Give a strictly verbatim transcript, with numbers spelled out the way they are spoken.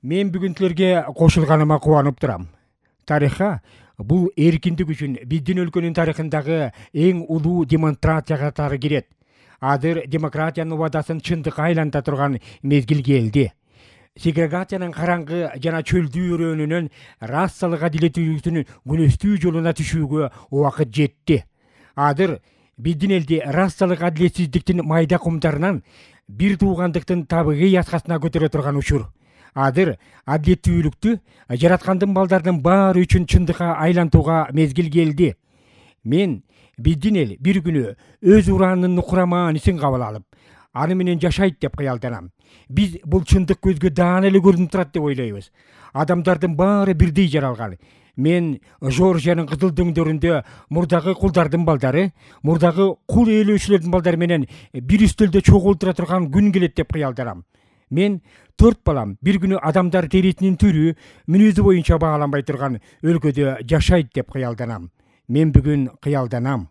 Мен бүгүн силерге кошулганыма кубанып турам. Тарыхка бул эркиндик үчүн биздин өлкөнүн тарыхындагы эң улуу демонстрация катары кирет. Азыр демократиянын убадасын чындыкка айланта турган мезгил келди. Сегрегациянын караңгы жана чөлдүү өрөөнүнөн расалык адилеттүүлүктүн күнөстүү жолуна түшүүгө убакыт жетти. Азыр биздин элди расалык адилетсиздиктин майда кумдарынан бир туугандыктын табигый яскасына көтөрө турган учур. Азыр адилеттүүлүктү жараткандын балдардын баары үчүн чындыкка айлантууга мезгил келди. Мен биздин эл бир күнү өз ураанын курамаанын кабыл алып, аны менен жашайт деп кыялданам. Биз бул чындык көзгө даана эле көрүнүп турат деп ойлойбуз. Адамдардын баары бирдей жаралган. Мен Жоржиянын кызыл дөңдөрүндө мурдагы кулдардын балдары, мурдагы кул ээлөөчүлөрдүн балдары менен бир үстөлдө чогултура турган күн келет деп кыялданам. Мен төрт балам бир күнү адамдар терисинин түрү, мүнөзү боюнча бааланбай турган өлкөдө жашайт деп кыялданам. Мен бүгүн кыялданам.